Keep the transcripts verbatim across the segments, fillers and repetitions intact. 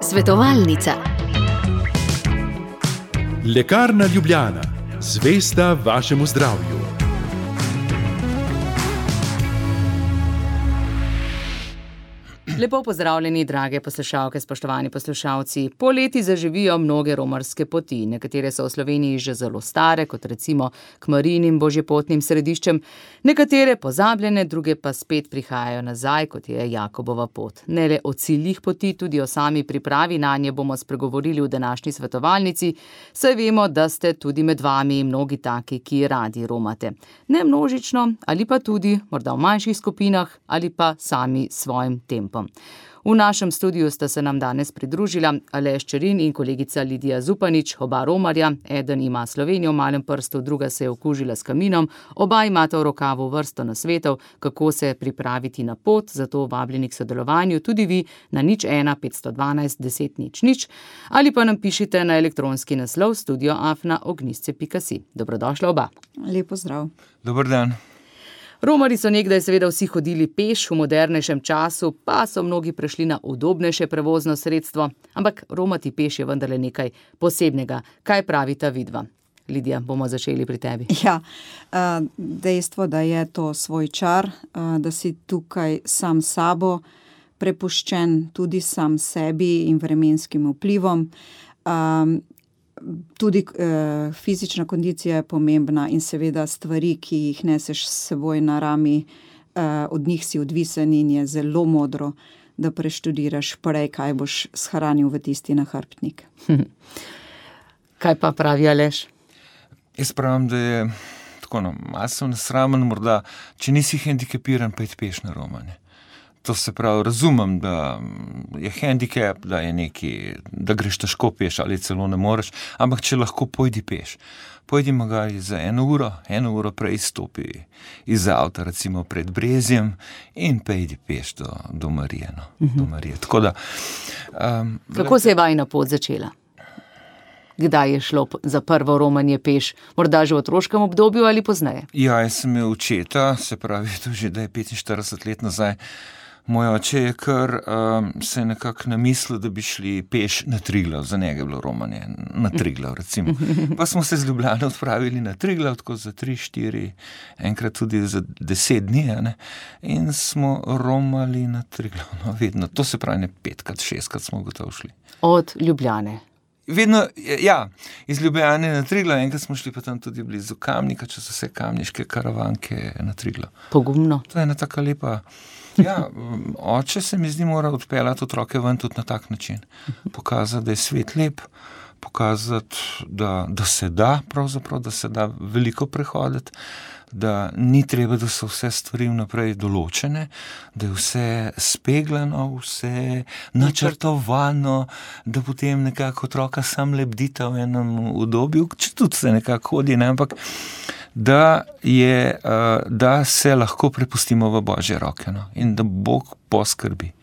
Svetovalnica. Lekarna Ljubljana, zvesta vašemu zdravju. Lepo pozdravljeni, drage poslušalke, spoštovani poslušalci. Poleti zaživijo mnoge romarske poti. Nekatere so v Sloveniji že zelo stare, kot recimo k Marijinim božjepotnim središčem. Nekatere pozabljene, druge pa spet prihajajo nazaj, kot je Jakobova pot. Ne le o ciljih poti, tudi o sami pripravi nanje bomo spregovorili v današnji svetovalnici, saj vemo, da ste tudi med vami mnogi taki, ki radi romate. Ne množično, ali pa tudi, morda v manjših skupinah, ali pa sami svojim tempom. V našem studiu sta se nam danes pridružila Aleš Čerin in kolegica Lidija Zupanič, oba romarja. Eden ima Slovenijo v malem prstu, druga se je okužila s kaminom. Oba imata v rokavu vrsto nasvetov, kako se pripraviti na pot, zato vabljeni k sodelovanju tudi vi na nič ena petsto dvanajst deset nič nič ali pa nam pišite na elektronski naslov studio afna ognjisce pika si. Dobrodošla oba. Lepo zdrav. Dober dan. Romari so nekdaj seveda vsi hodili peš, v modernejšem času pa so mnogi prešli na udobnejše prevozno sredstvo, ampak romati peš je vendarle nekaj posebnega. Kaj pravita vidva? Lidija, bomo začeli pri tebi. Ja, dejstvo, da je to svoj čar, da si tukaj sam sabo prepuščen, tudi sam sebi in vremenskim vplivom. Tudi eh, fizična kondicija je pomembna in seveda stvari, ki jih neseš s seboj na rami, eh, od njih si odvisen in je zelo modro, da preštudiraš prej, kaj boš shranil v tisti nahrbtnik. Kaj pa pravi Aleš? Jaz pravim, da je tako, no, malo sem nesramen morda, če nisi hendikepiran, pa je peš na romanje. To se pravi, razumem, da je hendikep, da je neki, da greš težko peš ali celo ne moreš, ampak če lahko pojdi peš. Pojdi magari za eno uro, eno uro prej stopi iz avta, recimo pred Brezjem in pejdi peš do, do Marije. No, uh-huh. do Marije. Tako da, um, Kako se je vajina pot začela? Kdaj je šlo za prvo romanje peš? Morda že v otroškem obdobju ali pozneje? Ja, jaz sem imel očeta, se pravi, to že da je petinštirideset let nazaj. Moj oče je kar um, se nekako namislil, da bi šli peš na Triglav, za njega je bilo romanje, na Triglav recimo. Pa smo se z Ljubljane odpravili na Triglav, tako za tri, štiri, enkrat tudi za deset dni, ne? In smo romali na Triglav, no vedno, to se pravi ne petkrat, šestkrat smo gotovo šli. Od Ljubljane? Vedno, ja, iz Ljubljane na Triglav, enkrat smo šli pa tam tudi blizu Kamnika, če so vse kamniške karavanke na Triglav. Pogumno. To je ena taka lepa... Ja, oče se mi zdi mora odpeljati otroke ven tudi na tak način. Pokazati, da je svet lep, pokazati, da, da se da, pravzaprav, da se da veliko prehoditi, da ni treba, da so vse stvari vnaprej določene, da je vse speglano, vse načrtovano, da potem nekako otroka sam lebdita v enem udobju, če tudi se nekako hodi, ne, ampak da, je, da se lahko prepustimo v Božje roke, no, in da Bog poskrbi.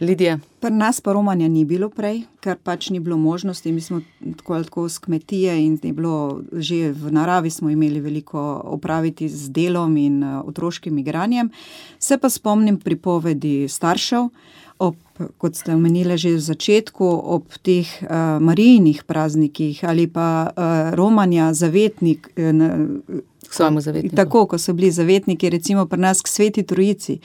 Lidija? Pri nas pa romanja ni bilo prej, ker pač ni bilo možnosti. Mi smo tako ali tako z kmetije in je bilo, že v naravi smo imeli veliko opraviti z delom in otroškim igranjem. Se pa spomnim pripovedi staršev, ob, kot ste omenili že v začetku, ob teh uh, Marijinih praznikih ali pa uh, romanja zavetnik, uh, k svojemu zavetniku. Tako, ko so bili zavetniki, recimo pri nas k Sveti Trojici.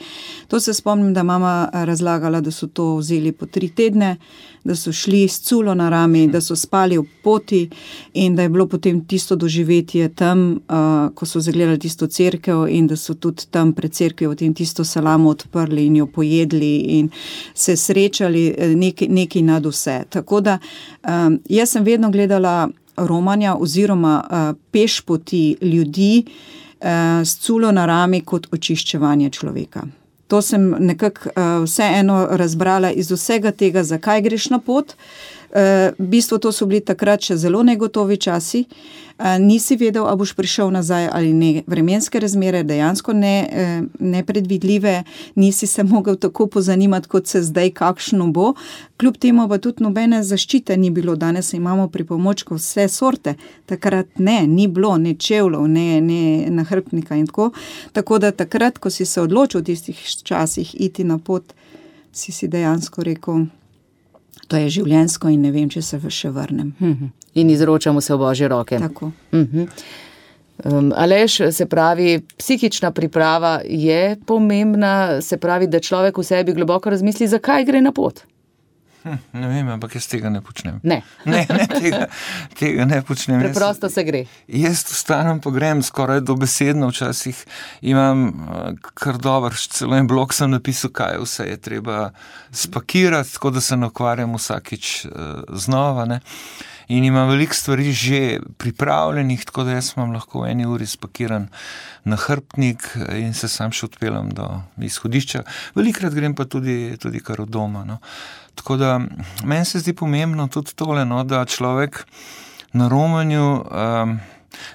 To se spomnim, da mama razlagala, da so to vzeli po tri tedne, da so šli s culo na rami, da so spali v poti in da je bilo potem tisto doživetje tam, uh, ko so zagledali tisto cerkev in da so tudi tam pred cerkvijo potem tisto salamo odprli in jo pojedli in se srečali nekaj, nekaj nad vse. Tako da um, jaz sem vedno gledala romanja oziroma uh, peš poti ljudi uh, s culo na rami kot očiščevanje človeka. To sem nekako uh, vseeno razbrala iz vsega tega, zakaj greš na pot. Uh, v bistvu to so bili takrat še zelo negotovi časi. Uh, nisi vedel, a boš prišel nazaj ali ne. Vremenske razmere dejansko ne, uh, nepredvidljive, nisi se mogel tako pozanimati, kot se zdaj kakšno bo. Kljub temu pa tudi nobene zaščite ni bilo. Danes imamo pripomočkov vse sorte. Takrat ne, ni bilo ne čevljev, ne, ne nahrbtnika in tako. Tako da takrat, ko si se odločil v tistih časih iti na pot, si si dejansko rekel, to je življenjsko in ne vem, če se še vrnem. In izročamo se v Božje roke. Tako. Uh-huh. Um, Aleš, se pravi, psihična priprava je pomembna, se pravi, da človek v sebi globoko razmisli, zakaj gre na pot. Hm, ne vem, ampak jaz tega ne počnem. Ne. ne, ne tega, tega ne počnem. Preprosto jaz, se gre. Jaz vstanem pa grem skoraj dobesedno, včasih imam kar dober, celo en blog sem napisal, kaj vse je treba spakirati, tako da se ne ukvarjam vsakič uh, znova, ne. In imam veliko stvari že pripravljenih, tako da jaz imam lahko v eni uri spakiran nahrbtnik in se sam še odpeljem do izhodišča. Velikrat grem pa tudi, tudi kar od doma. No. Tako da meni se zdi pomembno tudi tole, no, da človek na romanju um,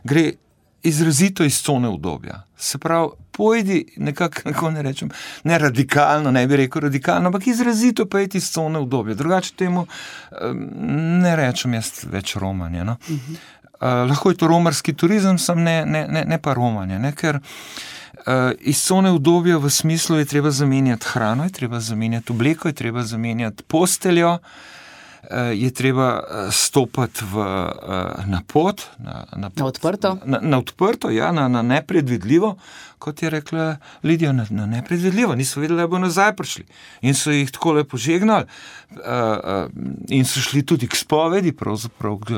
gre izrazito iz cone udobja. Se pravi, pojdi nekako, kako ne rečem, ne radikalno, ne bi rekel radikalno, ampak izrazito pojdi iz cone udobja. Drugače temu ne rečem jaz več romanje. No. Uh-huh. Uh, lahko je to romarski turizem, sem ne, ne, ne, ne pa romanje, ne, ker uh, iz cone udobja v smislu je treba zamenjati hrano, je treba zamenjati obleko, je treba zamenjati posteljo, je treba stopati v, na pot, na, na, pot, na odprto, na, na, odprto ja, na, na nepredvidljivo, kot je rekla Lidija, na, na nepredvidljivo, niso vedeli, da bo nazaj prišli. In so jih tako lepo žegnali uh, uh, in so šli tudi k spovedi, pravzaprav uh,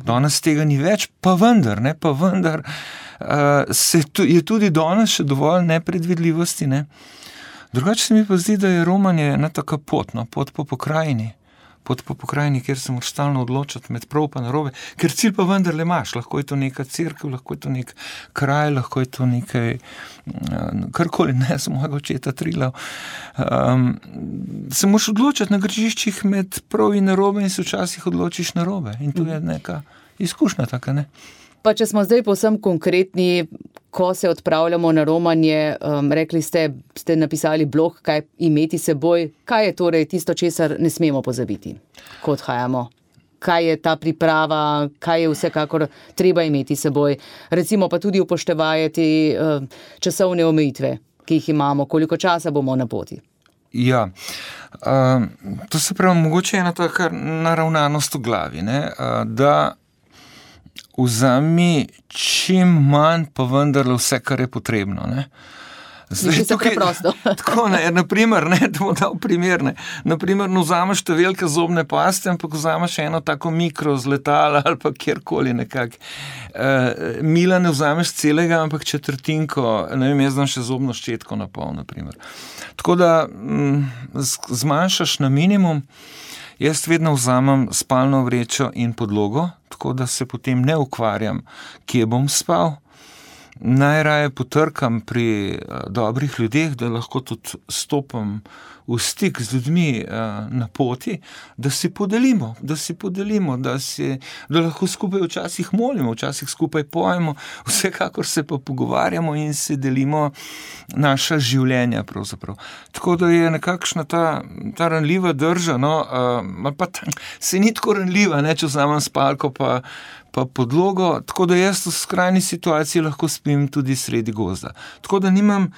danes tega ni več, pa vendar, ne, pa vendar uh, se tu, je tudi danes še dovolj nepredvidljivosti, ne. Drugače se mi pa zdi, da je romanje ena taka pot, no, pot po pokrajini, pot po pokrajini, kjer se moraš stalno odločati med prav pa narobe, ker cilj pa vendarle imaš, lahko je to neka cerkev, lahko je to nek kraj, lahko je to nekaj, karkoli, ne, z mojega očeta Trilav. Um, se moraš odločati na grižiščih med prav in narobe in se včasih odločiš narobe in to je neka izkušnja taka, ne. Pa če smo zdaj povsem konkretni, ko se odpravljamo na romanje, um, rekli ste, ste napisali blog, kaj imeti seboj, kaj je torej tisto, česar ne smemo pozabiti, ko odhajamo? Kaj je ta priprava, kaj je vsekakor treba imeti seboj? Recimo pa tudi upoštevati um, časovne omejitve, ki jih imamo, koliko časa bomo na poti. Ja, uh, to se pravi, mogoče ena taka naravnanost v glavi, ne, uh, da vzami čim manj, pa vendarle vse, kar je potrebno. Ne. Zdaj, tukaj, tako, ne, naprimer, ne, da bom dal primer, ne, naprimer, ne vzameš te velike zobne paste, ampak vzameš eno tako mikro z letala ali pa kjerkoli nekako. E, mila ne vzameš celega, ampak četrtinko, ne vem, jaz znam še zobno ščetko na pol, naprimer. Tako da m, zmanjšaš na minimum. Jaz vedno vzamem spalno vrečo in podlogo, tako da se potem ne ukvarjam, kje bom spal. Najraje potrkam pri dobrih ljudeh, da lahko tudi stopam v stik z ljudmi na poti, da si podelimo, da si podelimo, da, si, da lahko skupaj včasih molimo, včasih skupaj pojemo, vsekakor se pa pogovarjamo in si delimo naša življenja pravzaprav. Tako da je nekakšna ta, ta ranljiva drža, no, uh, pa ta, se ni tako ranljiva, ne, če vzamem spalko pa, pa podlogo, tako da jaz v skrajni situaciji lahko spim tudi sredi gozda. Tako da nimam,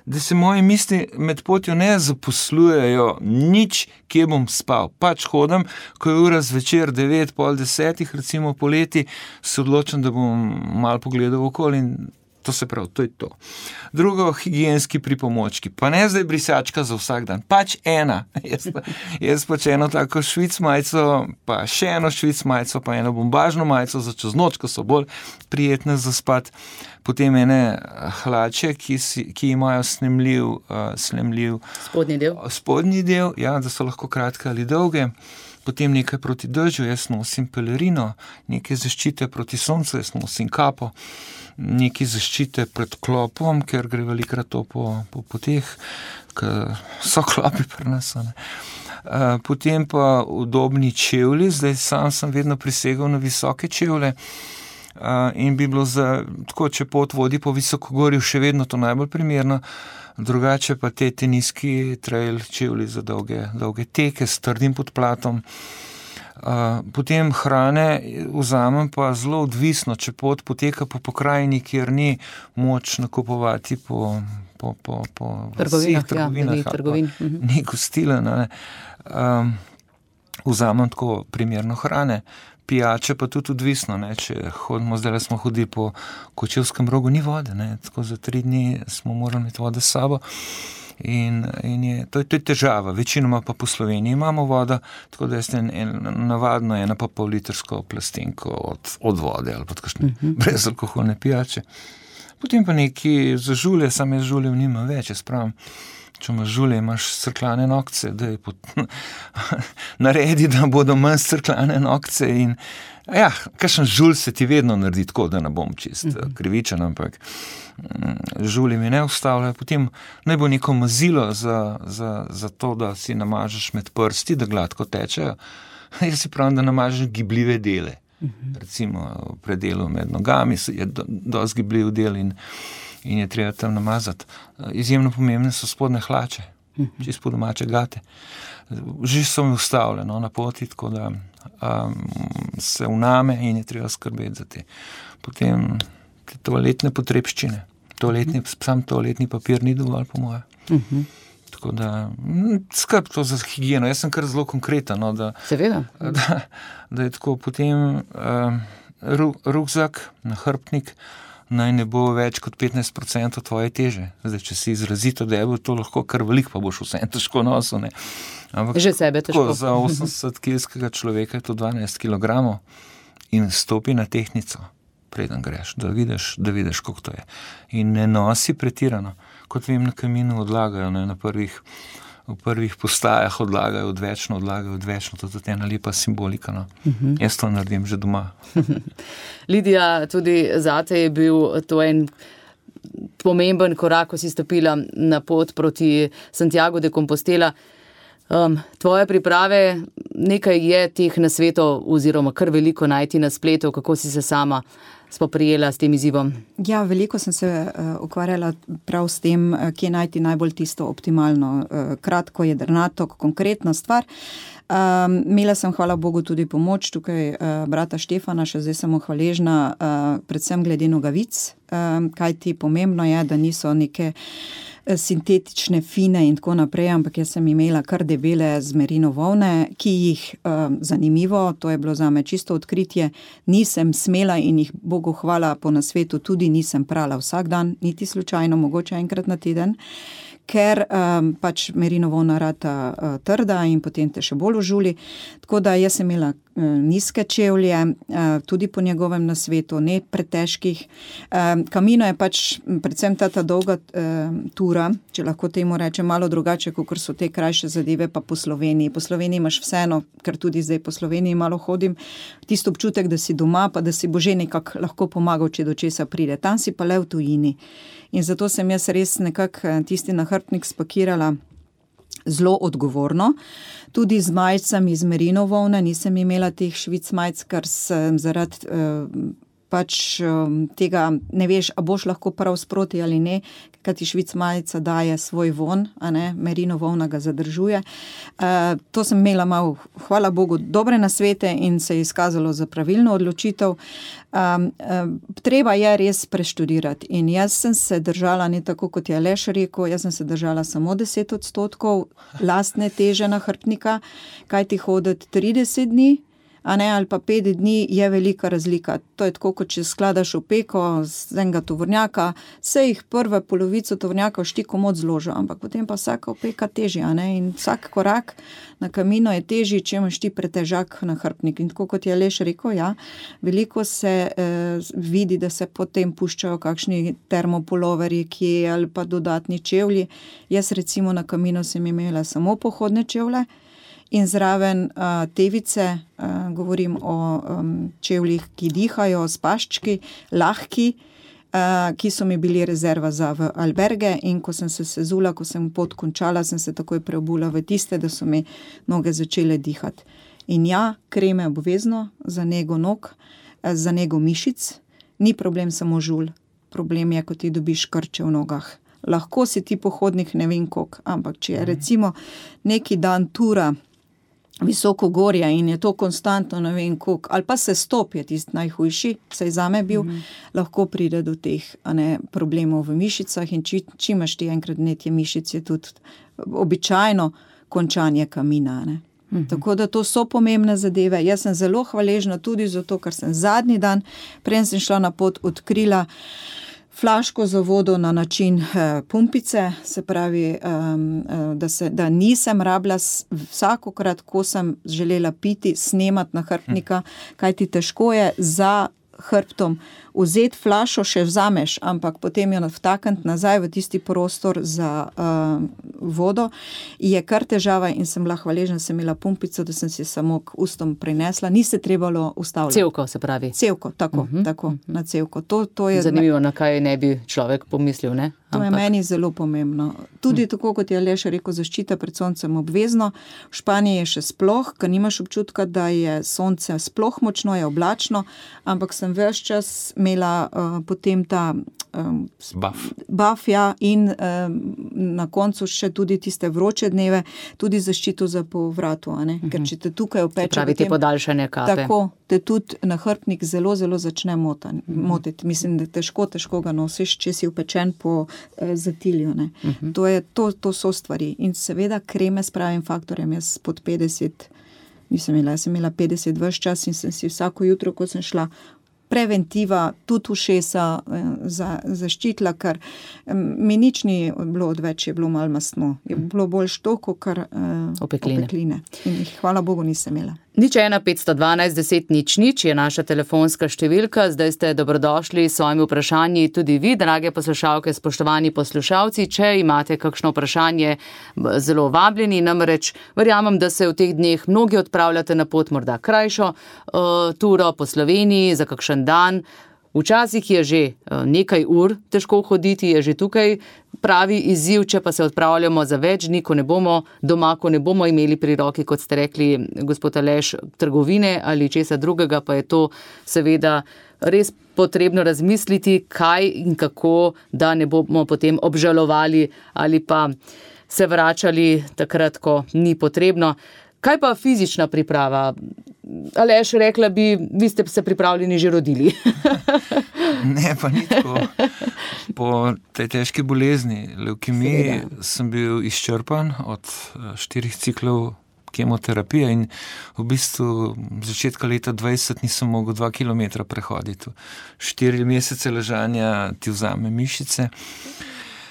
da se moje misli med potjo ne zaposlujejo nič, kje bom spal. Pač hodam, ko je ura zvečer devet, pol desetih, recimo poleti, se odločam, da bom malo pogledal okoli in to se pravi, to je to. Drugo, higienski pripomočki. Pa ne zdaj brisačka za vsak dan. Pač ena. Jaz, pa, jaz pač eno tako švic majico, pa še eno švic majico, pa eno bombažno majico za čez noč, ko so bolj prijetne za spat. Potem ene hlače, ki, si, ki imajo snemljiv, uh, snemljiv spodnji del. Spodnji del, ja, da so lahko kratke ali dolge. Potem nekaj proti dežju, jaz nosim pelerino, nekaj zaščite proti soncu, jaz nosim kapo, nekaj zaščite pred klopom, ker gre velikrat to po, po poteh, ker so klopi pri nas. Ne. Potem pa udobni čevlji, zdaj sam sem vedno prisegal na visoke čevlje in bi bilo za, tako, če pot vodi po visokogorju, še vedno to najbolj primerno. Drugače pa te teniski trail čevlji za dolge, dolge teke s trdim podplatom. Uh, potem hrane vzamem pa zelo odvisno, če pot poteka po pokrajini, kjer ni moč nakupovati po, po, po, po trgovinah, vseh trgovinah, ja, trgovin. uh-huh. Ni gostila. Um, vzamem tako primerno hrane, pijače pa tudi odvisno. Ne? Če hodimo, zdaj smo hodili po Kočevskem Rogu, ni vode, ne? Tako za tri dni smo morali imeti vode s sabo. In, in je, to, je, to je težava, večinoma pa po Sloveniji imamo vodo, tako da je en, en, navadno ena pa pol litrsko plastenko od, od vode ali pa kakšne uh-huh. brezalkoholne pijače. Potem pa neki za žulje, same žuljev nima več, jaz pravim, če imaš žulje, imaš crklane nokce, da je pot... naredi, da bodo manj crklane nokce in ja, kakšen žulj se ti vedno naredi tako, da ne bom čist uh-huh. krivičen, ampak žulji mi ne ustavljajo, potem naj bo neko mazilo za, za, za to, da si namažeš med prsti, da gladko tečejo. Jaz si pravim, da namažeš gibljive dele. Uh-huh. Recimo v predelu med nogami je do, dosti gibljiv del in, in je treba tam namazati. Izjemno pomembne so spodne hlače, uh-huh. čisto po domače gate. Že so mi ustavljeno na poti, tako da um, se vname in je treba skrbeti za te. Potem te toaletne potrebščine. Toaletni, sam toaletni papir ni dovolj, po moje. Uh-huh. Tako da, skrb to za higieno. Jaz sem kar zelo konkreten, no, da, da, da je tako potem uh, ru, rukzak, nahrbtnik, naj ne bo več kot petnajst procentov tvoje teže. Zdaj, če si izrazito debel, to lahko kar veliko, pa boš vse težko nosil, ne. Ampak, že sebe težko. Za osemdesetkilskega človeka je to dvanajst kilogramov in stopi na tehtnico, preden greš, da vidiš, da vidiš, koliko to je. In ne nosi pretirano. Kot vem, na kaminu odlagajo, ne, na prvih, v prvih postajah odlagajo odvečno, odlagajo odvečno, to je ena lepa simbolika. No. Uh-huh. Jaz to naredim že doma. Lidija, tudi zate je bil to en pomemben korak, ko si stopila na pot proti Santiago de Compostela. Um, tvoje priprave, nekaj je teh nasvetov oziroma kar veliko najti na spletu, kako si se sama spoprijela s tem izzivom? Ja, veliko sem se uh, ukvarjala prav s tem, uh, kje najti najbolj tisto optimalno, uh, kratko, jedrnato, konkretno stvar. Um, imela sem, hvala Bogu, tudi pomoč tukaj uh, brata Štefana, še zdaj sem mu hvaležna, uh, predvsem glede nogavic, um, kaj ti pomembno je, da niso neke sintetične, fine in tako naprej, ampak jaz sem imela kar debele z merino volne, ki jih, um, zanimivo, to je bilo zame čisto odkritje, nisem smela in jih, Bogu hvala, po nasvetu tudi nisem prala vsak dan, niti slučajno, mogoče enkrat na teden, ker um, pač merino volna rata uh, trda in potem te še bolj užuli. Tako da jaz sem imela uh, nizke čevlje, uh, tudi po njegovem nasvetu, ne pretežkih. Um, Camino je pač predvsem ta, ta dolga uh, tura, če lahko temu rečem, malo drugače, kot so te krajše zadeve, pa po Sloveniji. Po Sloveniji imaš vseeno, ker tudi zdaj po Sloveniji malo hodim, tisto občutek, da si doma, pa da si bo že nekako lahko pomagal, če do česa pride. Tam si pa le v tujini. In zato sem jaz res nekako tisti nahrbtnik spakirala zelo odgovorno. Tudi z majicami iz merino volne, nisem imela teh švic majic, ker sem zaradi uh, pač um, tega, ne veš, a boš lahko prav sproti ali ne, kaj ti švic majica daje svoj von, a ne, merino volna ga zadržuje. Uh, to sem imela malo, hvala Bogu, dobre nasvete in se je izkazalo za pravilno odločitev. Um, um, treba je res preštudirati in jaz sem se držala, ne tako kot je Aleš rekel, jaz sem se držala samo deset odstotkov lastne teže nahrbtnika, kaj ti hoditi trideset dni, a ne, ali pa pet dni, je velika razlika. To je tako, kot če skladaš v peko z enega tovornjaka, se jih prve polovico tovornjaka štiko moc zložil, ampak potem pa vsaka opeka teži, a ne, in vsak korak na Camino je težji, če imaš ti pretežak nahrbtnik. In tako, kot je Aleš rekel, ja, veliko se eh, vidi, da se potem puščajo kakšni termopuloveri, ki ali pa dodatni čevlji. Jaz recimo na Camino sem imela samo pohodne čevlje, in zraven uh, tevice, uh, govorim o um, čevljih, ki dihajo, s paščki, lahki, uh, ki so mi bili rezerva za v alberge, in ko sem se sezula, ko sem pot končala, sem se takoj preobula v tiste, da so mi noge začele dihati. In ja, kreme obvezno za nego nog, za nego mišic, ni problem samo žulj, problem je, ko ti dobiš krče v nogah. Lahko si ti pohodnik ne vem koliko, ampak če je recimo neki dan tura, visoko gorje in je to konstantno, ne vem koliko, ali pa se stop je tisti najhujši, saj zame bil, mm-hmm. lahko pride do teh a ne, problemov v mišicah in či, či imaš ti enkrat vnetje mišic, je tudi običajno končanje kamina. Ne. Mm-hmm. Tako da to so pomembne zadeve. Jaz sem zelo hvaležna tudi zato, ker sem zadnji dan, preden sem šla na pot, odkrila flaško za vodo na način eh, pumpice, se pravi, um, da, se, da nisem rabila vsakokrat, ko sem želela piti, snemati nahrbtnika, kajti težko je za hrbtom vzeti flašo, še vzameš, ampak potem jo vtakniti nazaj v tisti prostor za uh, vodo, je kar težava in sem bila hvaležna, sem imela pumpico, da sem si samo k ustom prinesla, ni se trebalo ustavljati. Cevko se pravi. Cevko, tako, uh-huh. tako, na cevko. To, to je zanimivo, na kaj ne bi človek pomislil, ne? To ampak je meni zelo pomembno. Tudi hmm. tako, kot je Aleš rekel, zaščita pred soncem obvezno. V Španiji je še sploh, ker nimaš občutka, da je sonce sploh močno, je oblačno, ampak sem ves čas imela uh, potem ta um, buff. buff ja, in um, na koncu še tudi tiste vroče dneve, tudi zaščito za povratu, a ne? Hmm. Ker če te tukaj opeče, pravi te podaljšanje kape. Tako, te tudi nahrbtnik zelo, zelo začne motan, hmm. motiti. Mislim, da težko, težko ga nosiš, če si upečen po zatilju. Ne. Uh-huh. To, je, to, to so stvari. In seveda kreme s pravim faktorjem. Jaz pod petdeset nisem imela, jaz sem imela petdeset ves čas in sem si vsako jutro, ko sem šla, preventiva, tudi ušesa za, zaščitila, ker mi nič ni bilo odveč, je bilo malo mastno. Je bilo bolj štoko, kar uh, opekline. opekline. In jih, hvala Bogu, nisem imela. Nič ena petsto dvanajst deset nič nič je naša telefonska številka. Zdaj ste dobrodošli s svojimi vprašanji tudi vi, drage poslušalke, spoštovani poslušalci. Če imate kakšno vprašanje, zelo vabljeni, namreč verjamem, da se v teh dneh mnogi odpravljate na pot, morda krajšo uh, turo po Sloveniji za kakšen dan. Včasih je že nekaj ur težko hoditi, je že tukaj pravi izziv, če pa se odpravljamo za več dni, ko ne bomo doma, ko ne bomo imeli pri roki, kot ste rekli, gospod Aleš, trgovine ali česa drugega, pa je to seveda res potrebno razmisliti, kaj in kako, da ne bomo potem obžalovali ali pa se vračali takrat, ko ni potrebno. Kaj pa fizična priprava? Aleš, rekla bi, vi ste se pripravljeni že rodili. Ne, pa ni tako. Po tej težki bolezni, levkemiji, sem bil izčrpan od štirih ciklov kemoterapije in v bistvu začetka leta dvajset nisem mogel dva kilometra prehoditi. Štiri mesece ležanja ti vzame mišice.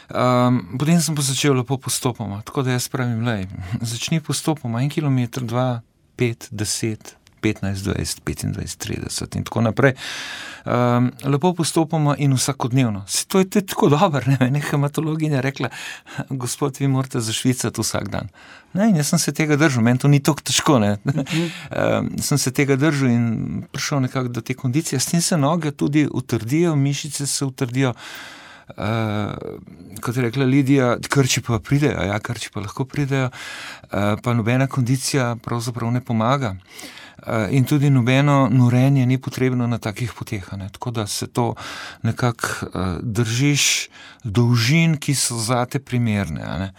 Um, potem sem pa začel lepo postopoma, tako da jaz pravim, lej, začni postopoma, en kilometer, dva, pet, deset, petnajst, dvajset, petindvajset, trideset in tako naprej. Um, lepo postopoma in vsakodnevno. To je, to je tako dobro, ne, ne, hematologinja rekla, gospod, vi morate zašvicati vsak dan. Ne, in jaz sem se tega držal, meni to ni tako težko, ne. um, sem se tega držal in prišel nekako do te kondicije, s tem se noge tudi utrdijo, mišice se utrdijo. Uh, kot je rekla Lidija, krči pa pridejo, ja, krči pa lahko pridejo, uh, pa nobena kondicija pravzaprav ne pomaga. Uh, in tudi nobeno norenje ni potrebno na takih poteh, ne? Tako da se to nekako uh, držiš dolžin, ki so zate primerne. Ne?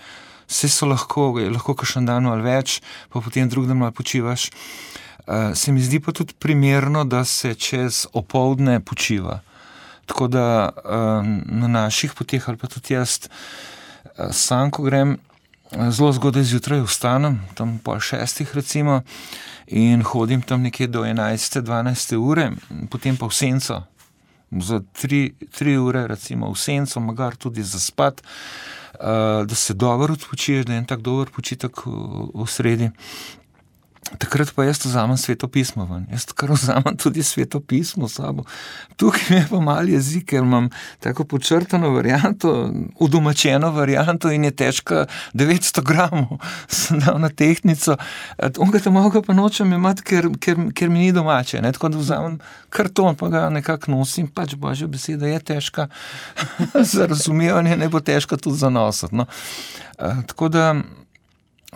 Vse so lahko, lahko kakšen dan ali več, pa potem drug dan malo počivaš. Uh, se mi zdi pa tudi primerno, da se čez opoldne počiva. Tako da na naših poteh, ali pa tudi jaz, sam, ko grem, zelo zgodaj zjutraj vstanem, tam pol šestih recimo, in hodim tam nekje do enajste, dvanajste ure, potem pa v senco, za tri, tri ure recimo v senco, magar tudi za spat, da se dobro odpočiješ, da je en tak dober počitek v, v sredi. Takrat pa jaz vzamem Sveto pismo ven. Jaz kar vzamem tudi Sveto pismo s sabo. Tukaj mi je pa mal jezik, ker imam tako počrtano varianto, udomačeno varianto in je težka devetsto gramov. Sem dal na tehtnico. Onga tam malga pa nočem imati, ker, ker, ker mi ni domače. Ne? Tako da vzamem karton, pa ga nekako nosim. Pač božja beseda je težka za razumevanje, ne bo težka tudi za nositi. No? Tako da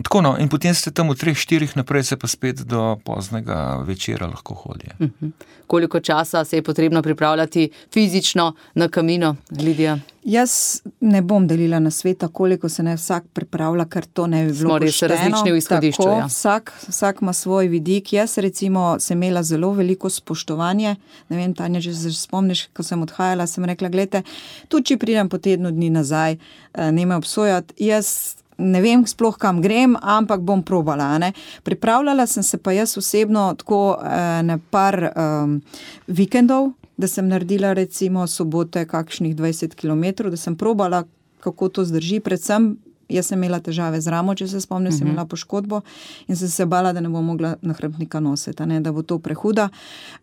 Tako no, in potem ste tam v treh, štirih naprej, se pa spet do poznega večera lahko hodi. Uh-huh. Koliko časa se je potrebno pripravljati fizično na Camino, Lidija? Jaz ne bom delila na sveta, koliko se ne vsak pripravlja, ker to ne bi bilo Smo res pošteno. različni v izhodišču, Tako, ja. vsak, vsak ima svoj vidik. Jaz recimo sem imela zelo veliko spoštovanje. Ne vem, Tanja, če se spomniš, ko sem odhajala, sem rekla, glejte, tudi če pridem po tednu dni nazaj, ne me obsojati, jaz ne vem sploh kam grem, ampak bom probala. Ne? Pripravljala sem se pa jaz osebno tako na par um, vikendov, da sem naredila recimo sobote kakšnih dvajset kilometrov, da sem probala, kako to zdrži. Predvsem jaz sem imela težave z ramo, če se spomnim, uh-huh. sem imela poškodbo in sem se bala, da ne bom mogla nahrbtnika nositi, ne? Da bo to prehuda.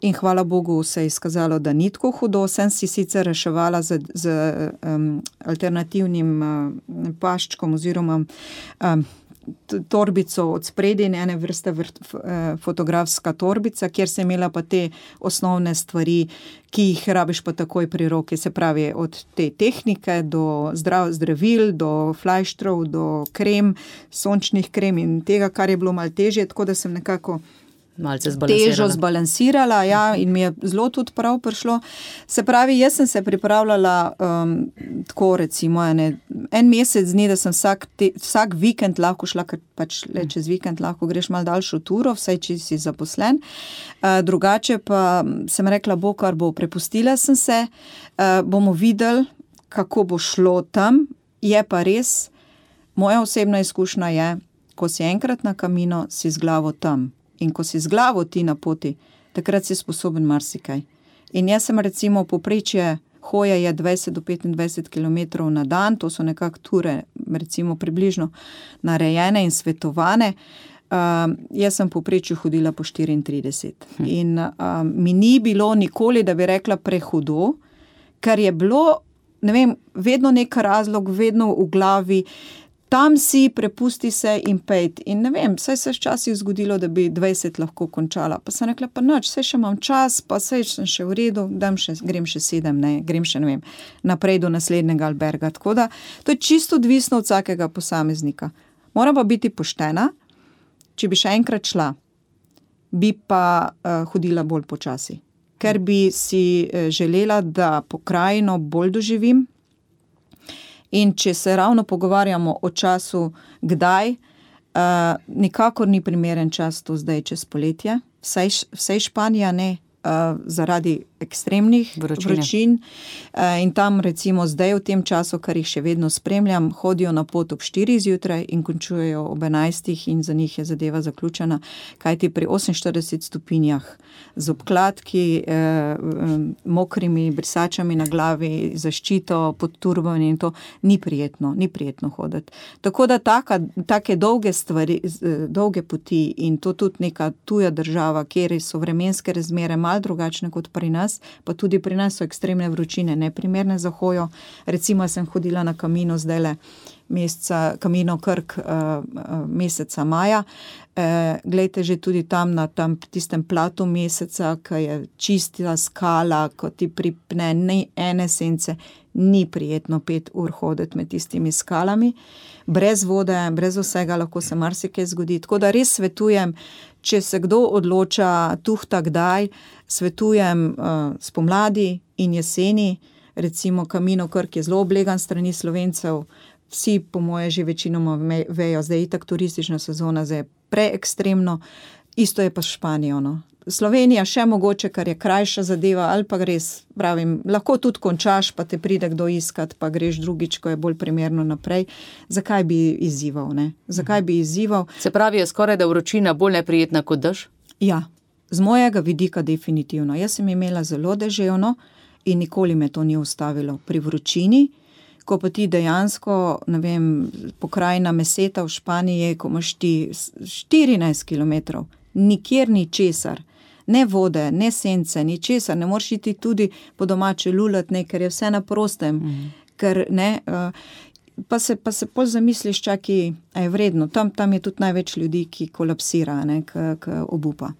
In hvala Bogu se je izkazalo, da ni tako hudo. Sem si sicer reševala z, z um, alternativnim uh, paščkom oziroma um, torbico od spredi, ene vrste vrt, fotografska torbica, kjer sem imela pa te osnovne stvari, ki jih rabiš pa takoj pri roki, se pravi od te tehnike do zdrav, zdravil, do flajštrov, do krem, sončnih krem in tega, kar je bilo malo težje, tako da sem nekako malce zbalansirala. Težo zbalansirala, ja, in mi je zelo tudi prav prišlo. Se pravi, jaz sem se pripravljala um, tako recimo ene, en mesec dni, da sem vsak, te, vsak vikend lahko šla, ker pač le čez vikend lahko greš malo daljšo turo, vsaj če si zaposlen. Uh, drugače pa sem rekla, bo kar bo, prepustila sem se, uh, bomo videli, kako bo šlo tam. Je pa res, moja osebna izkušnja je, ko si enkrat na Camino, si z glavo tam. In ko si z glavo ti na poti, takrat si sposoben marsikaj. In jaz sem recimo povprečje hoje je dvajset do petindvajset kilometrov na dan, to so nekako ture, recimo približno narejene in svetovane. Uh, jaz sem povprečju hodila po štiriintrideset. Hm. In uh, mi ni bilo nikoli, da bi rekla prehudo, ker je bilo, ne vem, vedno nek razlog, vedno v glavi, tam si, prepusti se in pejt. In ne vem, saj se je včasih zgodilo, da bi dvajset lahko končala. Pa sem rekla, pa nič, saj še imam čas, pa saj sem še v redu, dam še, grem še sedem, ne, grem še, ne vem, naprej do naslednjega alberga. Tako da, to je čisto odvisno od vsakega posameznika. Moram pa biti poštena, če bi še enkrat šla, bi pa uh, hodila bolj počasi. Ker bi si uh, želela, da pokrajino bolj doživim. In če se ravno pogovarjamo o času, kdaj, uh, nikakor ni primeren čas to zdaj čez poletje. Vsej, vsej Španija ne, uh, zaradi ekstremnih Vročine. vročin. Uh, in tam recimo zdaj v tem času, kar jih še vedno spremljam, hodijo na pot ob štirih zjutraj in končujejo ob enajstih in za njih je zadeva zaključena. Kajti pri oseminštiridesetih stopinjah z obkladki, eh, mokrimi brisačami na glavi, zaščito pod turbami in to ni prijetno, ni prijetno hoditi. Tako da taka, take dolge stvari, dolge poti in to tudi neka tuja država, kjer so vremenske razmere malo drugačne kot pri nas, pa tudi pri nas so ekstremne vročine, neprimerne za hojo. Recimo sem hodila na Camino zdajle meseca, Camino Krk uh, meseca maja. Uh, glejte, že tudi tam na tam tistem platu meseca, ki je čista skala, ko ti pripne ni ene sence, ni prijetno pet ur hoditi med tistimi skalami. Brez vode, brez vsega lahko se marsikaj zgodi. Tako da res svetujem, če se kdo odloča tuhta kdaj, svetujem uh, spomladi in jeseni. Recimo Camino Krk je zelo oblegan strani Slovencev, vsi po moje že večinoma vejo, zdaj je itak turistična sezona, zdaj je preekstremno, isto je pa s Španijo. No. Slovenija še mogoče, kar je krajša zadeva, ali pa res, pravim, lahko tudi končaš, pa te pride kdo iskat, pa greš drugič, ko je bolj primerno naprej. Zakaj bi izzival, ne? Zakaj bi izzival? Se pravi, je skoraj da vročina bolj neprijetna kot dež? Ja, z mojega vidika definitivno. Jaz sem imela zelo deževno in nikoli me to ni ustavilo. Pri vročini, ko pa ti dejansko, ne vem, pokrajina Meseta v Španiji, ko imaš ti štirinajst kilometrov, nikjer ni česar, ne vode, ne sence, ni česar, ne moreš iti tudi po domače lulat, ne, ker je vse na prostem, mm. ker ne, uh, pa se, pa se pol zamisliš, čaki, a je vredno, tam, tam je tudi največ ljudi, ki kolapsira, ne, k, k obupa.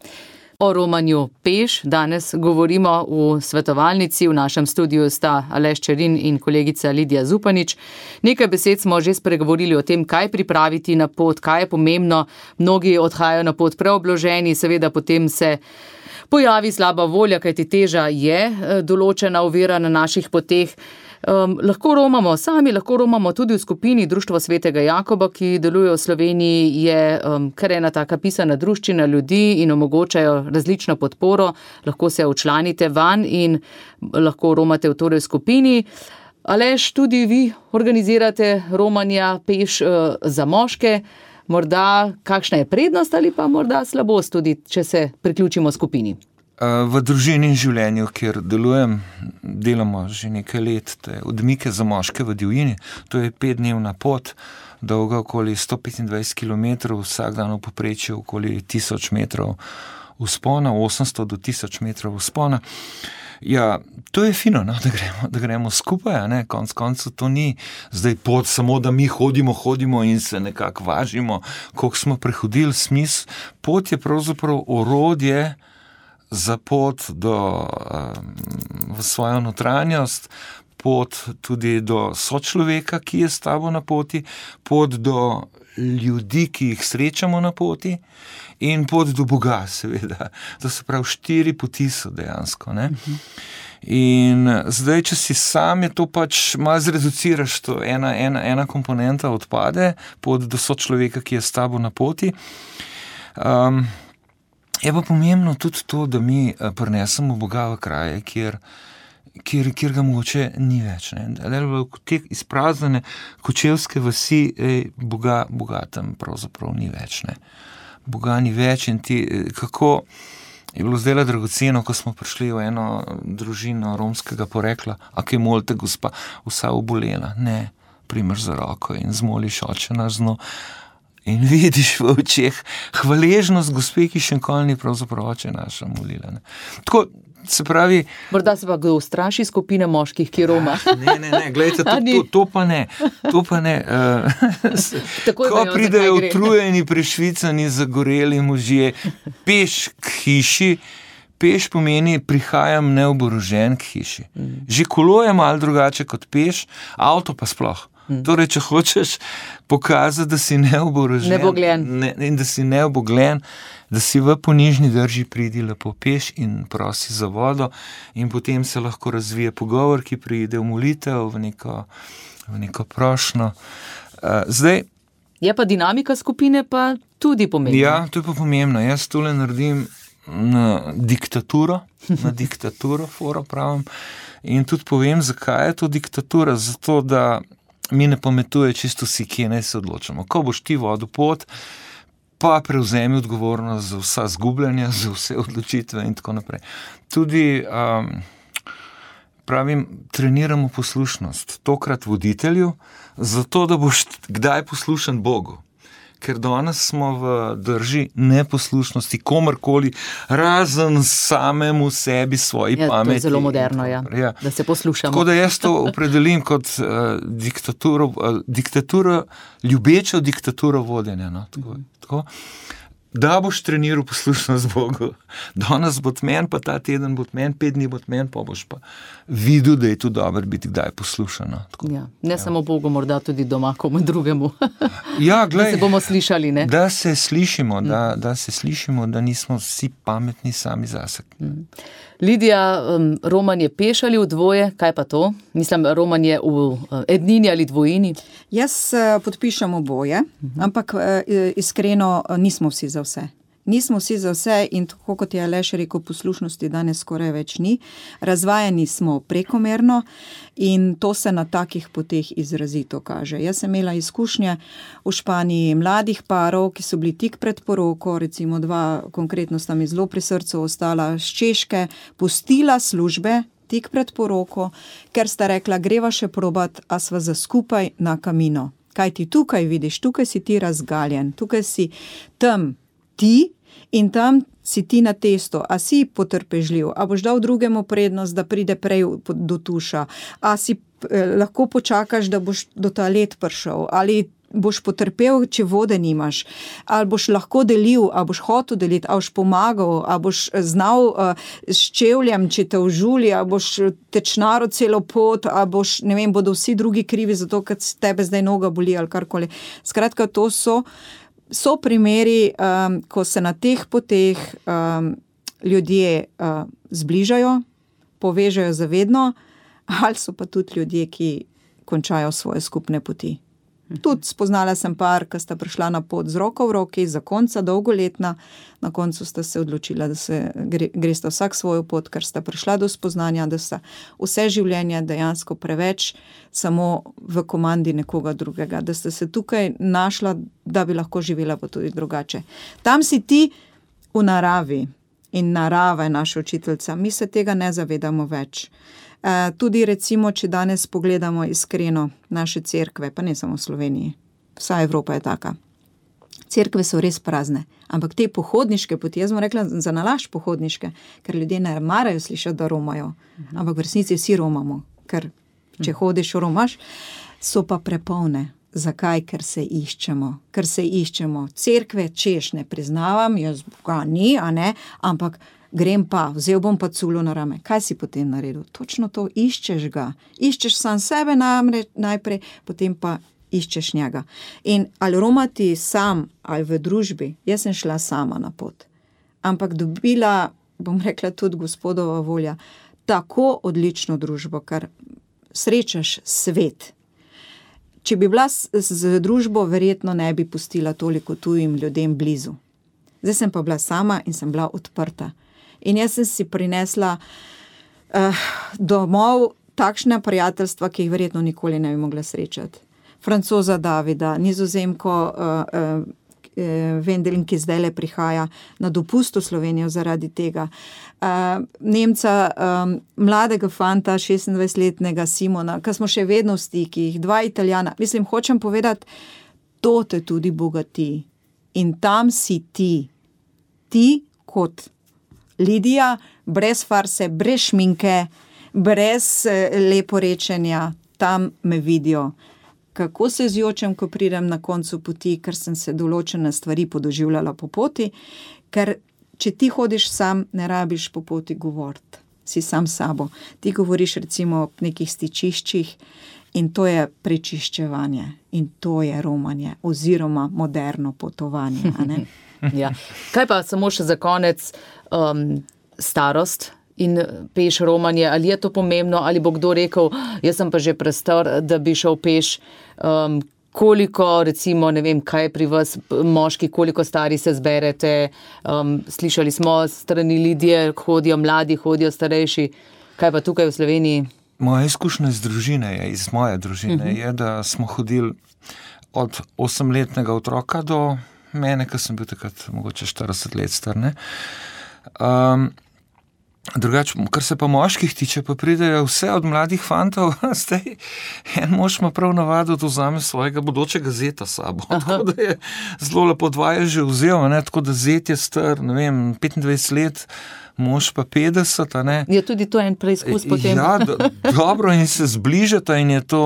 O romanju peš danes govorimo v svetovalnici. V našem studiu sta Aleš Čerin in kolegica Lidija Zupanič. Nekaj besed smo že spregovorili o tem, kaj pripraviti na pot, kaj je pomembno. Mnogi odhajajo na pot preobloženi, seveda potem se pojavi slaba volja, kajti teža je določena ovira na naših poteh. Um, lahko romamo sami, lahko romamo tudi v skupini Društvo svetega Jakoba, ki deluje v Sloveniji, je um, kar ena taka pisana druščina ljudi in omogočajo različno podporo. Lahko se včlanite van in lahko romate v torej skupini. Aleš, tudi vi organizirate romanja peš uh, za moške. Morda kakšna je prednost ali pa morda slabost tudi, če se priključimo skupini? V družini in življenju, kjer delujem, delamo že nekaj let, te odmike za moške v divjini. To je petdnevna pot, dolga okoli sto petindvajset kilometrov, vsak dan v povprečju okoli tisoč metrov vzpona, osemsto do tisoč metrov vzpona. Ja, to je fino, no, da gremo, da gremo skupaj, ne, konc koncev to ni zdaj pot samo, da mi hodimo, hodimo in se nekako važimo, koliko smo prehodili. Smisel, pot je pravzaprav orodje za pot do, um, v svojo notranjost, pot tudi do sočloveka, ki je s tabo na poti, pot do ljudi, ki jih srečamo na poti in pot do Boga, seveda. To se pravi, štiri poti so dejansko, ne. Uh-huh. In zdaj, če si sam, je to pač malo zreduciraš, to ena, ena, ena komponenta odpade, pot do sočloveka, ki je s tabo na poti. Um, Je pa pomembno tudi to, da mi prinesemo Boga v kraje, kjer, kjer, kjer ga mogoče ni več. Ne. V te izpraznjene kočevske vasi, ej, Boga, Boga tam pravzaprav ni več. Ne. Boga ni več in ti, kako je bilo zdaj dragoceno, ko smo prišli v eno družino romskega porekla, a kaj molite, gospa, vsa obolela. Ne, primeš za roko in zmoliš oče naš zno. In vidiš v očeh hvaležnost gospe, ki še nikoli ni pravzaprav oče naša molila. Ne. Tako, se pravi... Morda se pa kdo ustraši skupine moških, ki roma. Ne, ne, ne, gledajte, to, to, to pa ne. To pa ne. Uh, ko pridejo utrujeni, prešvicani, zagoreli možje, peš k hiši, peš pomeni prihajam neoborožen k hiši. Že kolo je malo drugače kot peš, avto pa sploh. Torej, če hočeš pokazati, da si neoborožen ne, in da si neobogljen, da si v ponižni drži pridi lepo peš in prosi za vodo in potem se lahko razvije pogovor, ki pride v molitev, v neko, v neko prošnjo. Uh, zdaj, je pa dinamika skupine pa tudi pomembna. Ja, to je pa pomembno. Jaz tole naredim na diktaturo, na diktaturo, foro pravim, in tudi povem, zakaj je to diktatura. Zato, da mi ne pametuje čisto vsi, kje naj se odločamo. Ko boš ti vodil pot, pa prevzemi odgovornost za vsa zgubljanja, za vse odločitve in tako naprej. Tudi, um, pravim, treniramo poslušnost, tokrat voditelju, zato, da boš kdaj poslušan Bogu. Ker danes smo v drži neposlušnosti komorkoli, razen samemu sebi, svoji ja, pameti. To je zelo moderno, ja, ja. Da se poslušamo. Tako da jaz to opredelim kot uh, diktaturo, uh, diktaturo, ljubečo diktaturo vodenja. No? Tako, mm. tako. Da boš treniral poslušnost Bogu. Danes bo tmen, pa ta teden bo tmen, pet dni bo tmen, pa boš pa videl, da je to dobro biti kdaj poslušano. Ja, ne ja. Samo Bogu, morda tudi doma komu drugemu. Ja, glej, da se bomo slišali, ne? Da se slišimo, mm. da, da se slišimo, da nismo vsi pametni sami zase. Mm. Lidija, um, romanje peš ali v dvoje, kaj pa to? Mislim, romanje v uh, ednini ali dvojini? Jaz uh, podpišem oboje, uh-huh. ampak uh, iskreno uh, nismo vsi za vse. Nismo vsi za vse in tako kot je Aleš rekel, poslušnosti danes skoraj več ni. Razvajani smo prekomerno in to se na takih poteh izrazito kaže. Jaz sem imela izkušnje v Španiji mladih parov, ki so bili tik pred poroko, recimo dva konkretno sta mi zelo pri srcu ostala z Češke, pustila službe tik pred poroko, ker sta rekla, greva še probat, a sva za skupaj na Camino. Kaj ti tukaj vidiš, tukaj si ti razgaljen, tukaj si tam ti in tam si ti na testu, a si potrpežljiv, a boš dal drugemu prednost, da pride prej do tuša, a si eh, lahko počakaš, da boš do toalet prišel, ali boš potrpel, če vode nimaš, ali boš lahko delil, ali boš hotel deliti, ali boš pomagal, ali boš znal uh, s čevljem, če te užuli, ali boš tečnaro celo pot, ali boš, ne vem, bodo vsi drugi krivi zato, ker tebe zdaj noga boli ali karkoli. Skratka, to so, so primeri, um, ko se na teh poteh um, ljudje uh, zbližajo, povežajo zavedno, ali so pa tudi ljudje, ki končajo svoje skupne poti. Tudi spoznala sem par, ki sta prišla na pot z roko v roki, zakonca, dolgoletna, na koncu sta se odločila, da se gre, gresta vsak svojo pot, ker sta prišla do spoznanja, da sta vse življenje dejansko preveč samo v komandi nekoga drugega, da sta se tukaj našla, da bi lahko živela pa tudi drugače. Tam si ti v naravi in narava je naša učiteljica, mi se tega ne zavedamo več. Uh, tudi recimo, če danes pogledamo iskreno naše cerkve, pa ne samo v Sloveniji, vsa Evropa je taka. Cerkve so res prazne, ampak te pohodniške poti, jaz bom rekla za nalašč pohodniške, ker ljudje ne marajo slišati, da romajo, ampak v resnici vsi romamo, ker če hodiš, romaš, so pa prepolne. Zakaj? Ker se iščemo, ker se iščemo. Cerkve, češ, ne priznavam, jaz ga ni, a ne, ampak grem pa, vzel bom pa culo na rame. Kaj si potem naredil? Točno to, iščeš ga. Iščeš sam sebe namre, najprej, potem pa iščeš njega. In ali romati sam, ali v družbi, jaz sem šla sama na pot. Ampak dobila, bom rekla tudi gospodova volja, tako odlično družbo, kar srečaš svet. Če bi bila z, z družbo, verjetno ne bi pustila toliko tujim ljudem blizu. Zdaj sem pa bila sama in sem bila odprta. In jaz sem si prinesla uh, domov takšne prijateljstva, ki jih verjetno nikoli ne bi mogla srečati. Francoza Davida, Nizozemko uh, uh, Vendelin, ki zdaj le prihaja na dopust v Slovenijo zaradi tega. Uh, Nemca, um, mladega fanta, šestindvajsetletnega Simona, ki smo še vedno v stikih, dva Italijana. Mislim, hočem povedati, to te tudi bogati. In tam si ti. Ti kot Lidija, brez farse, brez šminke, brez leporečenja, tam me vidijo. Kako se zjočem, ko pridem na koncu poti, ker sem se določene stvari podoživljala po poti, ker če ti hodiš sam, ne rabiš po poti govoriti, si sam sabo. Ti govoriš recimo o nekih stičiščih in to je prečiščevanje in to je romanje oziroma moderno potovanje, a ne? Ja. Kaj pa samo še za konec, um, starost in peš romanje, ali je to pomembno, ali bo kdo rekel, jaz sem pa že prestar, da bi šel peš, um, koliko recimo, ne vem, kaj pri vas moški, koliko stari se zberete, um, slišali smo strani Lidije, hodijo mladi, hodijo starejši, kaj pa tukaj v Sloveniji? Moja izkušnja iz družine je, iz moje družine uh-huh. je, da smo hodili od osemletnega otroka do mene, ki sem bil takrat mogoče štirideset let star, ne. Um, drugače, kar se pa moških tiče, pa pridejo vse od mladih fantov, zdaj en mož ima prav navado, da vzame svojega bodočega zeta sabo. Aha. Tako da je zelo lepo dva je že vzel, ne, tako da zet je star, ne vem, petindvajset let, mož pa petdeset, a ne. Je tudi to en preizkus potem. Ja, do, dobro in se zbližata in je to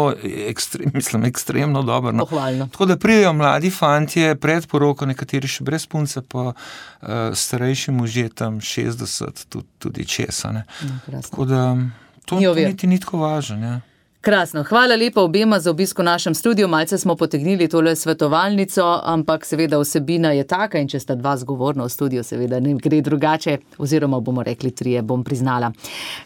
ekstrem, mislim, ekstremno dobro. No. Pohvalno. Tako da pridejo mladi fantje pred poroko, nekateri še brez punce, pa uh, starejši možje tam šestdeset, tudi, tudi čez, a ne. No, tako da to, to niti ni tako važno, ja. Krasno, hvala lepa obema za obisk v našem studiu, malce smo potegnili tole svetovalnico, ampak seveda vsebina je taka in če sta dva zgovorna v studiu, seveda ne gre drugače, oziroma bomo rekli trije, bom priznala.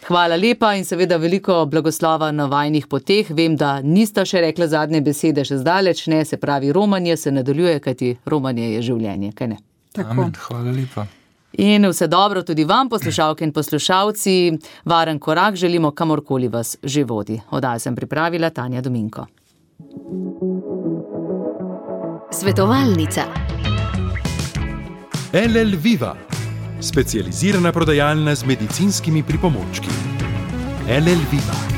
Hvala lepa in seveda veliko blagoslova na vajnih poteh, vem, da nista še rekla zadnje besede še zdaleč, ne, se pravi, romanje se nadaljuje, kajti romanje je življenje, kaj ne? Tako. Amen, hvala lepa. In vse dobro tudi vam, poslušalke in poslušalci, varen korak želimo kamorkoli vas že vodi. Oddajo sem pripravila Tanja Dominko. Svetovalnica. L L Viva, specializirana prodajalna z medicinskimi pripomočki. L L Viva.